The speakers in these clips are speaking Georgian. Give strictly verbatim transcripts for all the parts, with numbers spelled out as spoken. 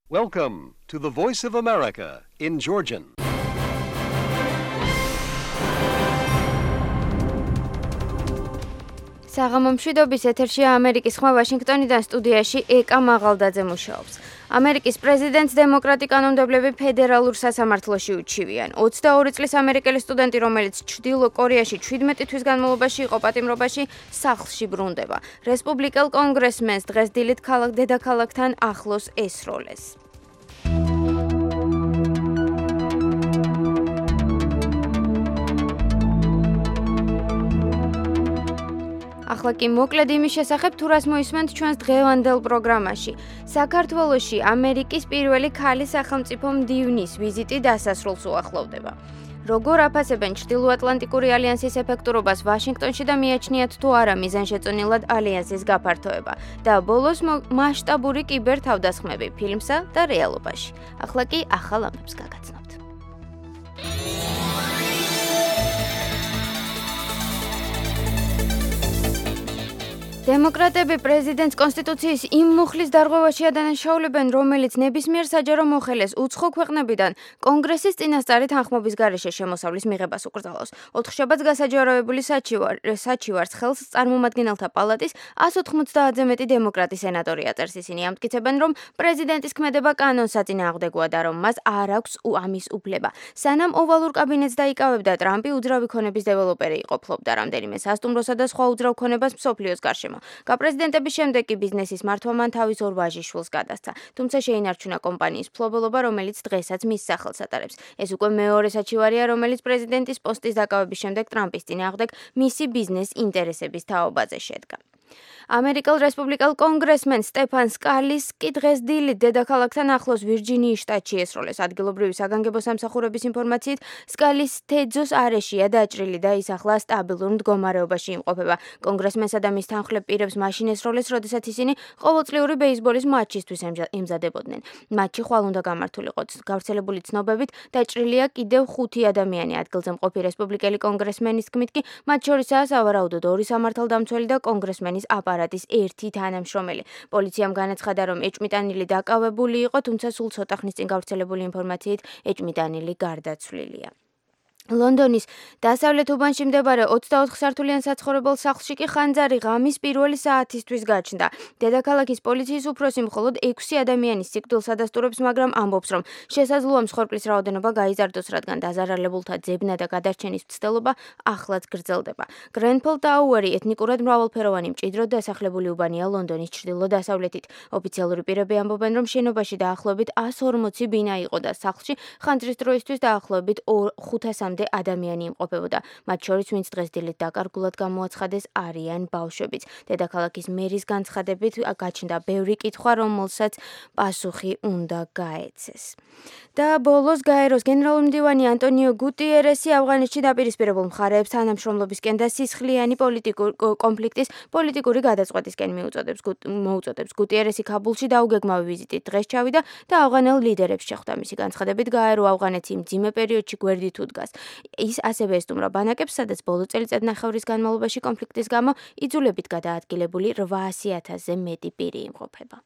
Welcome to the Voice of America in Georgian. საღამომშვიდობის ეთერშია ამერიკის ხმა ვაშინგტონიდან სტუდიაში ეკა მაღალდაძე მუშაობს. ამერიკის პრეზიდენტს დემოკრატი კანონმდებლები ფედერალურ სასამართლოში უჩივიან. ოცდაორი წლის ამერიკელი სტუდენტი, რომელიც ჩრდილო კორეაში ჩვიდმეტი თვის განმავლობაში იყო პატიმრობაში, სახლში ბრუნდება. რესპუბლიკელ კონგრესმენს დღეს დილით ქალაქ დედაქალაქთან ახლოს ესროლეს. ახლა კი მოკლედ იმის შესახებ, თუ რას მოისმენთ ჩვენს დღევანდელ პროგრამაში. საქართველოში ამერიკის პირველი ქალი სახელმწიფო მდივნის ვიზიტი დასასრულს უახლოვდება. როგორ აფასებენ ჩრდილოატლანტიკური ალიანსის ეფექტურობას ვაშინგტონში და მიაჩნიათ თუ არა მიზანშეწონილად ალიანსის გაფართოება და ბოლოს მასშტაბური კიბერთავდასხმები ფილმსა და რეალობაში. ახლა კი ახალ ამბებს გაგაცნობთ. დემოკრატები პრეზიდენტს კონსტიტუციის იმ მუხლის დარღვევაში ადანაშაულებენ, რომელიც ნებისმიერ საჯარო მოხელეს უცხო ქვეყნებიდან კონგრესის წინასწარი თანხმობის გარეშე შემოსავლის მიღებას უკრძალავს. ოთხშაბათს გასაჯაროებული საჩივარს ხელს წარმომადგენელთა პალატის ას ოთხმოცდაათზე მეტი დემოკრატი სენატორი აწერს. ისინი ამტკიცებენ, რომ პრეზიდენტის ქმედება კანონსაწინააღმდეგოა და რომ მას არ აქვს ამის უფლება. სანამ ოვალურ კაბინეტს დაიკავებდა, ტრამპი უძრავი ქონების დეველოპერი იყო, ფლობდა რამდენიმე სასტუმროსა და სხვა უძრავ ქონებას მსოფლიოს გარშემო. გაპრეზიდენტების შემდეგ კი ბიზნესის მართვა მან თავის ორ ვაჟიშვილს გადასცა. თუმცა შეინარჩუნა კომპანიის ფლობელობა, რომელიც დღესაც მის სახელს ატარებს. ეს უკვე მეორე საჩივარია, რომელიც პრეზიდენტის პოსტის დაკავების შემდეგ ტრამპის წინააღმდეგ მისი ბიზნეს ინტერესების თაობაზე შედგა. ამერიკელ რესპუბლიკელ კონგრესმენ სტეფან სკალის კი დღეს დილით დედაქალაქთან ახლოს ვირჯინიის შტატში ესროლეს. ადგილობრივი საგანგებო სამსახურების ინფორმაციით, სკალის თეძოს არეშია დაჭრილი და ის ახლა სტაბილურ მდგომარეობაში იმყოფება. კონგრესმენსა და მის თანხმლებ პირებს მაშინ ესროლეს, როდესაც ისინი ყოველწლიური ბეისბოლის მატჩისთვის ემზადებოდნენ. მატჩი ხვალ უნდა გამართულიყო. გავრცელებული ცნობებით დაჭრილია კიდევ ხუთი ადამიანი. ადგილზე მყოფი რესპუბლიკელი კონგრესმენის თქმით კი მათ შორისაა სავარაუდოდ ორი სამართალდამცველი და კონგრესმენის აპარატის ერთი თანამშრომელი. პოლიციამ განაცხადა, რომ ეჭვმიტანილი დაკავებული იყო, თუმცა სულ ცოტა ხნის წინ გავრცელებული ინფორმაციით ეჭვმიტანილი გარდაცვლილია. ლონდონის დასავლეთ უბანში მდებარე ოცდაოთხ სართულიან საცხოვრებელ სახლში კი ხანძარი ღამის პირველი საათისთვის გაჩნდა. დედაქალაქის პოლიციის უფროსი მხოლოდ ექვსი ადამიანის სიკვდილს ადასტურებს, მაგრამ ამბობს, რომ შესაძლოა მსხვერპლის რაოდენობა გაიზარდოს, რადგან დაზარალებულთა ძებნა და გადარჩენის მცდელობა ახლაც გრძელდება. გრენფელ ტაუერი ეთნიკურად მრავალფეროვანი მჭიდროდ დასახლებული უბანია ლონდონის ჩრდილო-დასავლეთით. ოფიციალური პირები ამბობენ, რომ შენობაში დაახლოებით ას ორმოცი ბინა იყო და სახლში ხანძრის დროისთვის დაახლოებით ხუთასამდე ადამიანი იმყოფებოდა. მათ შორის, ვინც დღეს დილით დაკარგულად გამოაცხადეს, არიან ბავშვებიც. დედაქალაქის მერის განცხადებით გაჩნდა ბევრი კითხვა, რომელსაც პასუხი უნდა გაეცეს. და ბოლოს გაეროს გენერალური მდივანი ანტონიო გუტიერესი ავღანეთში დაპირისპირებულ მხარეებს თანამშრომლობისკენ და სისხლიანი პოლიტიკური კონფლიქტის პოლიტიკური გადაწყვეტისკენ მოუწოდებს. გუტიერესი ქაბულში დაუგეგმავი ვიზიტით დღეს ჩავიდა და ავღანელ ლიდერებს შეხვდა. მისი განცხადებით, გაერო ავღანეთი მძიმე პერიოდში გვერდით უდგას. ის ასევე ესტუმრა ბანაკებს, სადაც ბოლო წელიწადნახევრის განმავლობაში კონფლიქტის გამო იძულებით გადაადგილებული რვაასი ათასზე მეტი პირი იმყოფება.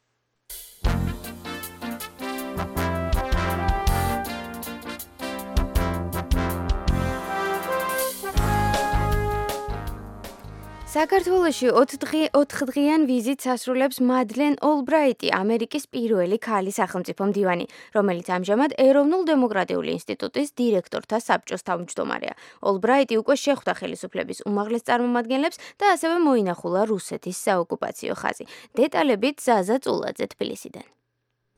საქართველოში ოთხდღიან ვიზიტს ასრულებს მადლენ ოლბრაიტი, ამერიკის პირველი ქალი სახელმწიფო მდივანი, რომელიც ამჟამად ეროვნულ დემოკრატიული ინსტიტუტის დირექტორთა საბჭოს თავმჯდომარეა. ოლბრაიტი უკვე შეხვდა ხელისუფლების უმაღლეს წარმომადგენლებს და ასევე მოინახულა რუსეთის საოკუპაციო ხაზი. დეტალებით ზაზა წულაძე თბილისიდან.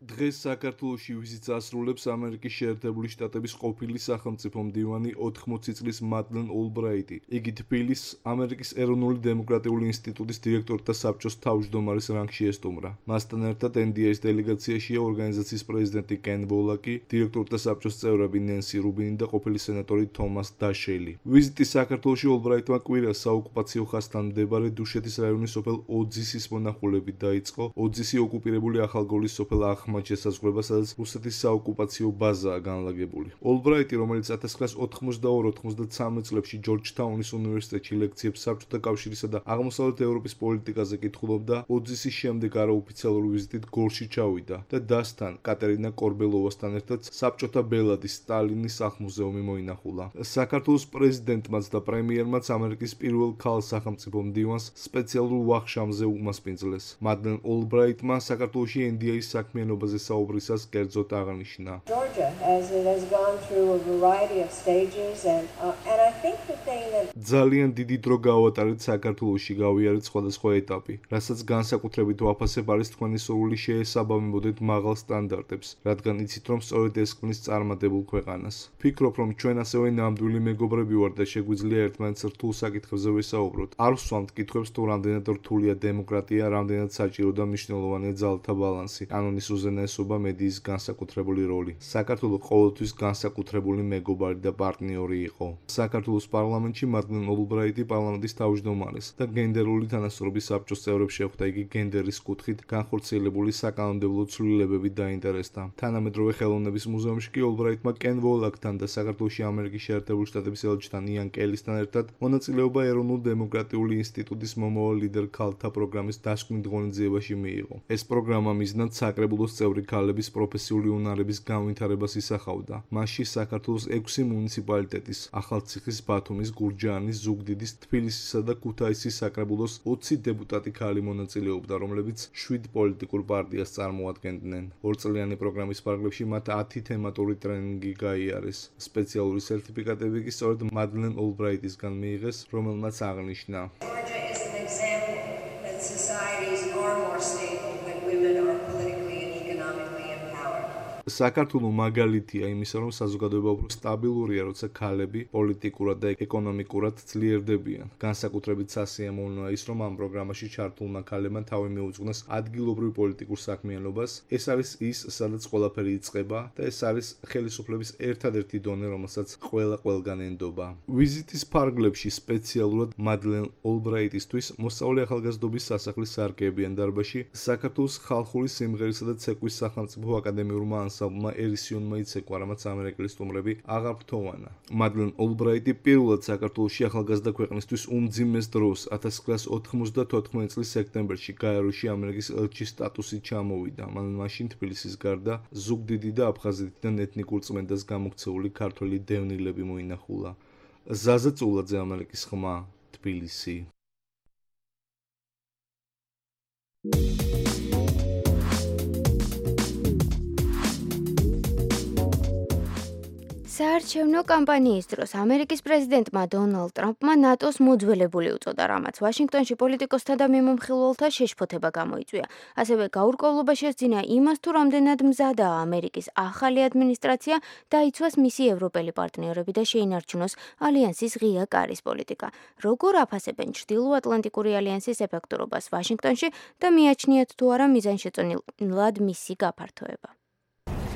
დღეს საქართველოში ვიზიტს ასრულებს ამერიკის შეერთებული შტატების ყოფილი სახელმწიფო მდივანი ოთხმოცი წლის მადლენ ოლბრაიტი. იგი თბილისს ამერიკის ეროვნული დემოკრატიული ინსტიტუტის დირექტორთა საბჭოს თავმჯდომარის რანგში ესტუმრა. მასთან ერთად ენ დი ეის დელეგაციაშია ორგანიზაციის პრეზიდენტი კენ ვოლაკი, დირექტორთა საბჭოს წევრები ნენსი რუბინი და ყოფილი სენატორი თომას დაშელი. ვიზიტი საქართველოში ოლბრაიტმა კვირას საოკუპაციო ხაზთან მდებარე დუშეთის რაიონის სოფელ ოძისის მონახულებით დაიწყო. ოძისი ოკუპირებული ახალგორის სოფელ ახ ღრმად შესაზღვრება, სადაც რუსეთის საოკუპაციო ბაზაა განლაგებული. ოლბრაიტი, რომელიც ათას ცხრაასი ოთხმოცდაორი ოცდამეცხრე წლებში ჯორჯთაუნის უნივერსიტეტში ლექციებს საბჭოთა კავშირისა და აღმოსავლეთ ევროპის პოლიტიკაზე კითხულობდა, ოძისის შემდეგ არაოფიციალური ვიზიტით გორში ჩავიდა და დასთან კატერინა კორბელოვასთან ერთად საბჭოთა ბელადის სტალინის სახლ-მუზეუმი მოინახულა. საქართველოს პრეზიდენტმაც და პრემიერმაც ამერიკის პირველ ქალ სახელმწიფო მდივანს სპეციალურ ვახშამზე უმასპინძლეს. მადლენ ოლბრაიტმა საქართველოში ენ დი ეის საქმიანობაზე საუბრისას კერძოდ აღნიშნა. ძალიან დიდი დრო გავატარეთ საქართველოში, გავიარეთ სხვადასხვა ეტაპი, რასაც განსაკუთრებით ვაფასებ არის თქვენი სურვილი შეესაბამებოდეთ მაღალ სტანდარტებს, რადგან იცით, რომ სწორედ ეს ქმნის წარმატებულ ქვეყანას. ვფიქრობ, რომ ჩვენ ასევე ნამდვილი მეგობრები ვართ და შეგვიძლია ერთმანეთს რთულ საკითხებზე ვესაუბროთ. არ ვსვამთ კითხვებს თუ რამდენად რთულია დემოკრატია, რამდენად საჭირო და მნიშვნელოვანია ძალთა ბალანსი, კანონის უზენაესობა, მედიის განსაკუთრებული როლი. საქართველო ყოველთვის განსაკუთრებული მეგობარი და პარტნიორი იყო. საქართველოს პარლამენტში მადლენ ოლბრაიტი პარლამენტის თავმჯდომარეს და გენდერული თანასწორობის საბჭოს წევრებს შეხვდა. იგი გენდერის კუთხით განხორციელებული საკანონმდებლო ცვლილებებით დაინტერესდა. თანამედროვე ხელოვნების მუზეუმში კი ოლბრაიტმა კენ ვოლაკთან და საქართველოში ამერიკის შეერთებული შტატების ელჩთან იან კელისთან ერთად მონაწილეობა ეროვნულ დემოკრატიული ინსტიტუტის მომავალ ლიდერ ქალთა პროგრამის დასკვნით ღონისძიებაში მიიღო. ეს პროგრამა მიზნად საკრებულოს წევრი ქალების პროფესიული უნარების განვითარებას ისახავდა. მასში საქართველოს ექვსი მუნიციპალიტეტის ახალციხის, ბათუმის, გურჯაანის, ზუგდიდის, თბილისისა და ქუთაისის საკრებულოს ოცი დეპუტატი ქალი მონაწილეობდა, რომლებიც შვიდ პოლიტიკურ პარტიას წარმოადგენდნენ. ორწლიანი პროგრამის ფარგლებში მათ ათი თემატური ტრენინგი გაიარეს. სპეციალური სერტიფიკატები კი სწორედ მადლენ ოლბრაიტისგან მიიღეს, რომელმაც აღნიშნა. საქართველო მაგალითია იმისა, რომ საზოგადოება უფრო სტაბილურია, როცა ქალები პოლიტიკურად და ეკონომიკურად ძლიერდებიან. განსაკუთრებით სასიამოვნოა ის, რომ ამ პროგრამაში ჩართულმა ქალებმა თავი მიუძღვნეს ადგილობრივ პოლიტიკურ საქმიანობას. ეს არის ის, სადაც ყველაფერი იწყება და ეს არის ხელისუფლების ერთადერთი დონე, რომელსაც ყველა ყველგან ენდობა. ვიზიტის ფარგლებში სპეციალურად მადლენ ოლბრაიტისთვის მოსწავლე ახალგაზრდობის სასახლის სარკეებიან დარბაზში საქართველოს ხალხური სიმღერისა და ცეკვის სახელმწიფო აკადემიურმა ანსამბლმა ერისიონმა იცეკვა, რამაც ამერიკელი სტუმრები აღარ ფრთოვანა. მადლენ ოლბრაიტი პირველად საქართველოში ახალგაზრდა ქვეყნისთვის უმძიმეს დროს ათას ცხრაასი ოთხმოცდათოთხმეტი წლის სექტემბერში გაეროში ამერიკის ელჩის სტატუსით ჩამოვიდა. მან მაშინ თბილისის გარდა ზუგდიდი და აფხაზეთიდან ეთნიკურ წმენდას გამოქცეული ქართველი დევნილები მოინახულა. ზაზა წულაძე, ამერიკის ხმა, თბილისი. საარჩევნო კამპანიის დროს ამერიკის პრეზიდენტმა დონალდ ტრამპმა ნატოს მოძველებული უწოდა, რამაც ვაშინგტონში პოლიტიკოსთა და მიმომხილველთა შეშფოთება გამოიწვია. ასევე გაურკვევლობა შესძინა იმას, თუ რამდენად მზადაა ამერიკის ახალი ადმინისტრაცია დაიცვას მისი ევროპელი პარტნიორები და შეინარჩუნოს ალიანსის ღია კარის პოლიტიკა. როგორ აფასებენ ჩრდილოატლანტიკური ალიანსის ეფექტურობას ვაშინგტონში და მიაჩნიათ თუ არა მიზანშეწონილად მისი გაფართოება.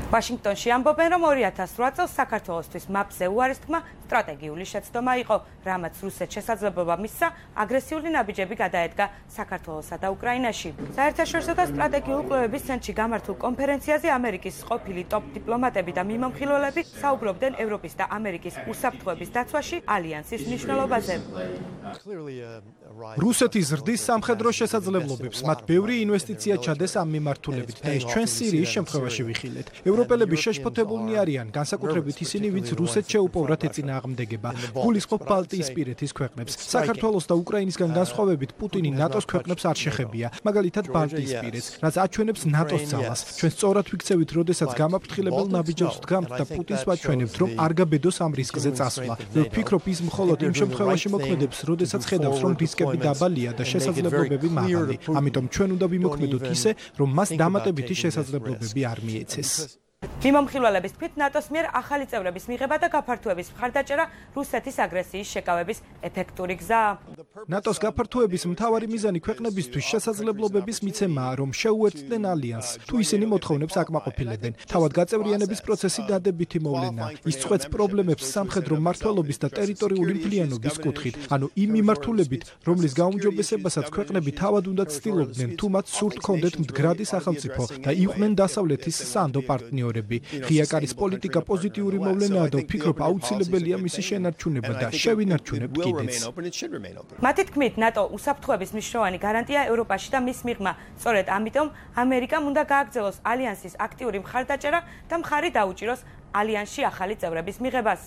ვაშინგტონში ამბობენ, რომ ორი ათას რვა წელს საქართველოსთვის მაპზე უარის თქმა სტრატეგიული შეცდომა იყო, რამაც რუსეთს შესაძლებლობა მისცა აგრესიული ნაბიჯები გადაედგა საქართველოსა და უკრაინაში. საერთაშორისო და სტრატეგიული კვლევების ცენტრში გამართულ კონფერენციაზე ამერიკის ყოფილი ტოპ დიპლომატები და მიმომხილველები საუბრობდნენ ევროპის და ამერიკის უსაფრთხოების დაცვაში ალიანსის მნიშვნელობაზე. რუსეთი ზრდის სამხედრო შესაძლებლობებს, მათ ბევრი ინვესტიცია ჩადეს ამ მიმართულებით და ეს ჩვენ სირიის შემთხვევაში ვიხილეთ. ევროპელები შეშფოთებულნი არიან, განსაკუთრებით ისინი, ვინც რუსეთს შეუპოვრათ ეწინააღმდეგება. გულისხმობ ბალტიისპირეთის ქვეყნებს. საქართველოს და უკრაინისგან განსხვავებით პუტინი ნატოს ქვეყნებს არ შეხებია, მაგალითად ბალტიისპირეთს, რაც აჩვენებს ნატოს ძალას. ჩვენ სწორად ვიქცევით, როდესაც გამაფრთხილებელ ნაბიჯებს ვდგამთ და პუტინს ვაჩვენებთ, რომ არ გაბედოს ამ რისკზე წასვლა. ვფიქრობ, ის მხოლოდ იმ შემთხვევაში მოქმედებს, როდესაც ხედავს, რომ რისკები დაბალია და შესაძლებლობები მაღალი. ამიტომ ჩვენ უნდა ვიმოქმედოთ ისე, რომ მას დამატებითი შესაძლებლობები არ მიეცეს. მიმომხილველების თქმით, ნატოს მიერ ახალი წევრების მიღება და გაფართოების მხარდაჭერა რუსეთის აგრესიის შეკავების ეფექტური გზაა. ნატოს გაფართოების მთავარი მიზანი ქვეყნებისთვის შესაძლებლობების მიცემაა, რომ შეუერთდნენ ალიანსს, თუ ისინი მოთხოვნებს აკმაყოფილებენ. თავად გაწევრიანების პროცესი დადებითი მოვლენაა. ის წყვეტს პრობლემებს სამხედრო მმართველობის და ტერიტორიული მთლიანობის კუთხით, ანუ იმ მიმართულებით, რომლის გაუმჯობესებასაც ქვეყნები თავად უნდა ცდილობდნენ, თუ მათ სურთ ჰქონდეთ მდგრადი სახელმწიფო და იყვნენ დასავლეთის სანდო პარტნიორები. ღია კარის პოლიტიკა პოზიტიური მოვლენაა და ვფიქრობ, აუცილებელია მისი შენარჩუნება და შევინარჩუნებთ კიდეც. მათი თქმით, ნატო უსაფრთხოების მნიშვნელოვანი გარანტია ევროპაში და მის მიღმა. სწორედ ამიტომ ამერიკამ უნდა გააგრძელოს ალიანსის აქტიური მხარდაჭერა და მხარი დაუჭიროს ალიანსში ახალი წევრების მიღებას.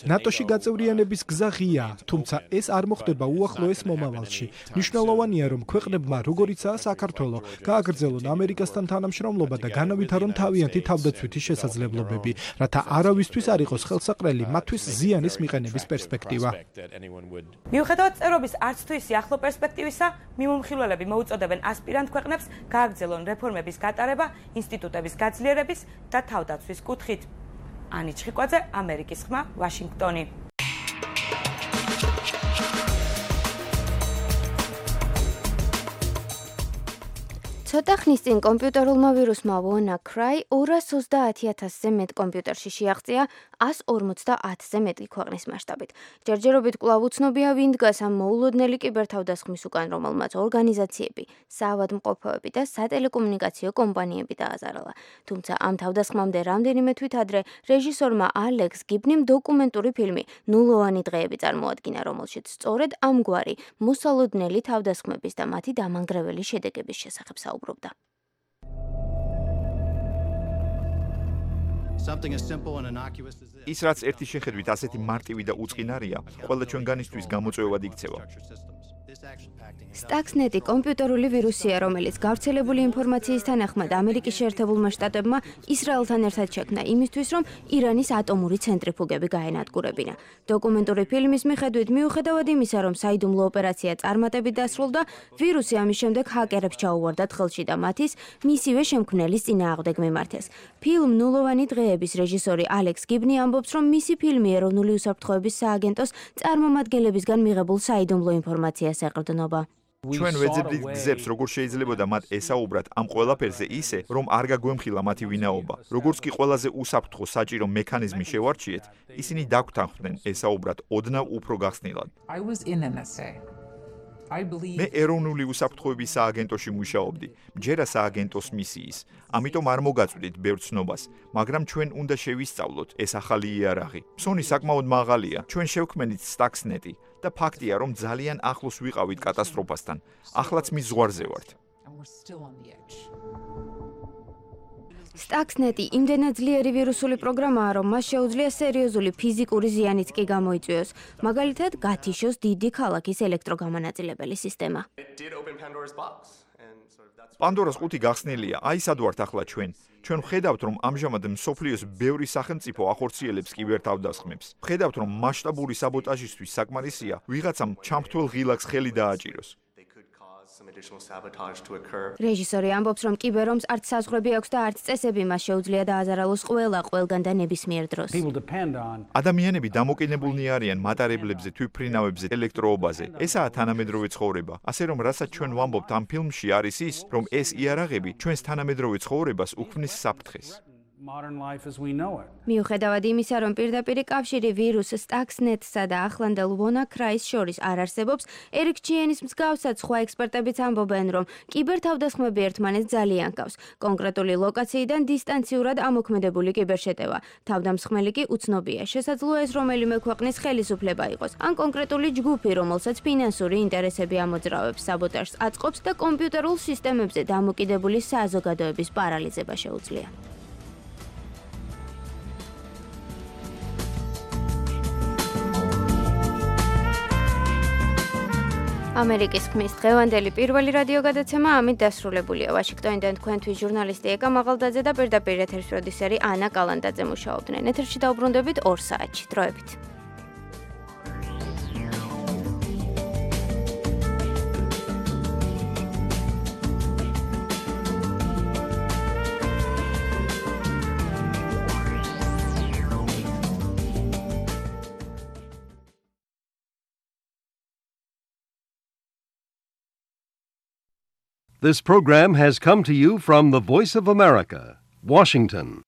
ნატოში გაწევრიანების გზა ღიაა, თუმცა ეს არ მოხდება უახლოეს მომავალში. მნიშვნელოვანია, რომ ქვეყნებმა, როგორიცაა საქართველო, გააგრძელონ ამერიკასთან თანამშრომლობა და განავითარონ თავიანთი თავდაცვითი შესაძლებლობები, რათა არავისთვის არ იყოს ხელსაყრელი მათთვის ზიანის მიყენების პერსპექტივა. მიუხედავად წევრობის არც თუ ისი ახლო პერსპექტივისა, მიმომხილველები მოუწოდებენ ასპირანტ ქვეყნებს გააგრძელონ რეფორმების გატარება ინსტიტუტების გაძლიერების და თავდაცვის კუთხით. ანი ჩხიკვაძე, ამერიკის ხმა, ვაშინგტონი. ცოტა ხნის წინ კომპიუტერულმა ვირუსმა WannaCry ორას ოცდაათი ათასზე მეტ კომპიუტერში შეაღწია ას ორმოცდაათზე მეტი ქვეყნის მასშტაბით. ჯერჯერობით კვლავ უცნობია, ვინ დგას ამ მოულოდნელი კიბერთავდასხმის უკან, რომელმაც ორგანიზაციები, საავადმყოფოები და სატელეკომუნიკაციო კომპანიები დააზარალა. თუმცა ამ თავდასხმამდე რამდენიმე თვით ადრე რეჟისორმა ალექს გიბნიმ დოკუმენტური ფილმი ნულოვანი დღეები წარმოადგინა, რომელშიც სწორედ ამგვარი მოსალოდნელი თავდასხმების და მათი დამანგრეველი შედეგების შესახებ საუბრობდა. ის რაც ერთი შეხედვით ასეთი მარტივი და უწყინარია, ყველა ჩვენგანისთვის გამოწვევად იქცევა. Stuxnet კომპიუტერული ვირუსია, რომელიც გავრცელებული ინფორმაციის თანახმად ამერიკის შეერთებულმა შტატებმა ისრაელთან ერთად შექმნა იმისთვის, რომ ირანის ატომური ცენტრიფუგები გაენადგურებინა. დოკუმენტური ფილმის მიხედვით, მიუხედავად იმისა, რომ საიდუმლო ოპერაცია წარმატებით დასრულდა, ვირუსი ამის შემდეგ ჰაკერებს ჩაუვარდათ ხელში და მათის მისივე შემქმნელის წინააღმდეგ მიმართეს. ფილმ ნულოვანი დღეების რეჟისორი ალექს გიბნი ამბობს, რომ მისი ფილმი ეროვნული უსაფრთხოების სააგენტოს წარმომადგენლებისგან მიღებულ საიდუმლო ინფორმაციას ეყრდნობა. ჩვენ ვეძებდით გზებს, როგორ შეიძლებოდა მათ ესაუბრათ ამ ყველაფერზე ისე, რომ არ გაგვემხილა მათი ვინაობა. როგორც კი ყველაზე უსაფრთხო საჭირო მექანიზმი შევარჩიეთ, ისინი დაგვთანხმდნენ ესაუბრათ ოდნავ უფრო გახსნილად. მე ეროვნული უსაფრთხოების სააგენტოში მუშაობდი, მჯერა სააგენტოს მისიის. ამიტომ არ მოგაწვდით ბევრ ცნობას, მაგრამ ჩვენ უნდა შევისწავლოთ ეს ახალი იარაღი. ფსონი საკმაოდ მაღალია. ჩვენ შევქმნით Stuxnet და ფაქტია, რომ ძალიან ახლოს ვიყავით კატასტროფასთან. ახლაც მის ზღვარზე ვართ. Stuxnet იმდენად ძლიერი ვირუსული პროგრამაა, რომ მას შეუძლია სერიოზული ფიზიკური ზიანიც კი გამოიწვიოს. მაგალითად, გათიშოს დიდი ქალაქის ელექტროგამანაწილებელი სისტემა. პანდორას ყუთი გახსნილია, აი სად ვართ ახლა ჩვენ. ჩვენ ვხედავთ, რომ ამჟამად მსოფლიოს ბევრი სახელმწიფო ახორციელებს კიბერთავდასხმებს. ვხედავთ, რომ მასშტაბური საბოტაჟისთვის საკმარისია ვიღაცამ ჩამრთვალ ღილაკს ხელი დააჭიროს. რეჟისორი ამბობს, რომ კიბერომს არც საზღვრები აქვს და არც წესები მას შეუძლია დააზარალოს ყველა ყველგან და ნებისმიერ დროს. ადამიანები დამოკიდებულნი არიან მატარებლებზე, თვითმფრინავებზე, ელექტროობაზე. ესაა თანამედროვე ცხოვრება. ასე რომ, რასაც ჩვენ ვამბობთ ამ ფილმში არის ის, რომ ეს იარაღები ჩვენს თანამედროვე ცხოვრებას უქმნის საფრთხეს. მიუხედავად იმისა, რომ პირდაპირი კავშირი ვირუს Stuxnet-სა და ახლანდელ WannaCry-ს შორის არ არსებობს, ერიკ ჩიენის მსგავსად სხვა ექსპერტებიც ამბობენ, რომ კიბერთავდასხმები ერთმანეთს ძალიან ჰგავს. კონკრეტული ლოკაციიდან დისტანციურად ამოქმედებული კიბერშეტევა. თავდამსხმელი კი უცნობია. შესაძლოა ეს რომელიმე ქვეყნის ხელისუფლება იყოს, ან კონკრეტული ჯგუფი, რომელსაც ფინანსური ინტერესები ამოძრავებს, საბოტაჟს აწყობს და კომპიუტერულ სისტემებზე დამოკიდებული საზოგადოების პარალიზება შეუძლია. ამერიკის ხმის დღევანდელი პირველი რადიო გადაცემა ამით დასრულებულია. ვაშინგტონიდან თქვენთვის ჟურნალისტი ეკა მაღალდაძე და პირდაპირ ეთერის პროდიუსერი ანა კალანდაძე მუშაობდნენ. ეთერში დაუბრუნდებით ორ საათში. დროებით. This program has come to you from the Voice of America, Washington.